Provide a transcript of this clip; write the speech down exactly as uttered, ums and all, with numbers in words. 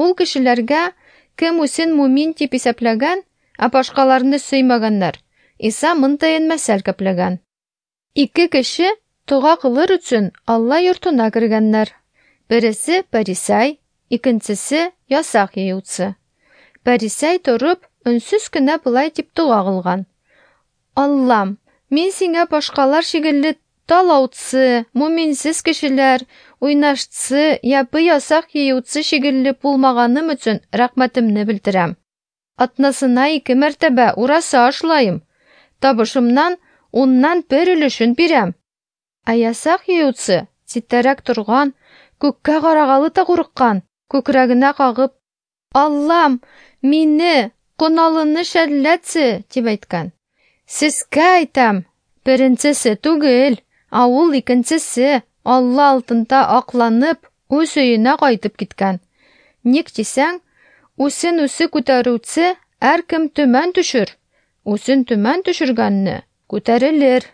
Ул кешеләргә, кем үзен мумин дип исәпләгән, ә башкаларны сөймәгәннәр, Иса мондыен мәсәл кәпләгән. Ике кеше дога кылыр өчен Алла йортына кергәннәр. Бересе пәрисәй, икенчесе ясак йыючы. Пәрисәй торып, өнсез кенә болай дип дога кылган: Аллам, мин сиңа башкалар шикелле талаучы, муминсез кешеләр, уйнашчы, япы ясак йыючы шикелле булмаганым өчен рәхмәтемне белдерәм. Атнасына ике мәртәбә ураса ашлайым. Табышымнан уннан бер өлешен бирәм. Ә ясак йыючы читтәрәк торган, күккә карагалы да курыккан, күкрәгенә кагып: Аллам, мине, гөнаһлыны шәлләтсе, дип әйткән. Сезгә әйтәм, беренчесе түгел, ә ул икенчесе Алла алдында акланып, үз өенә кайтып киткән. Ник дисәң, үзен үзе күтәрүче һәркем түбән төшер, үзен түбән төшергәнне күтәрелер.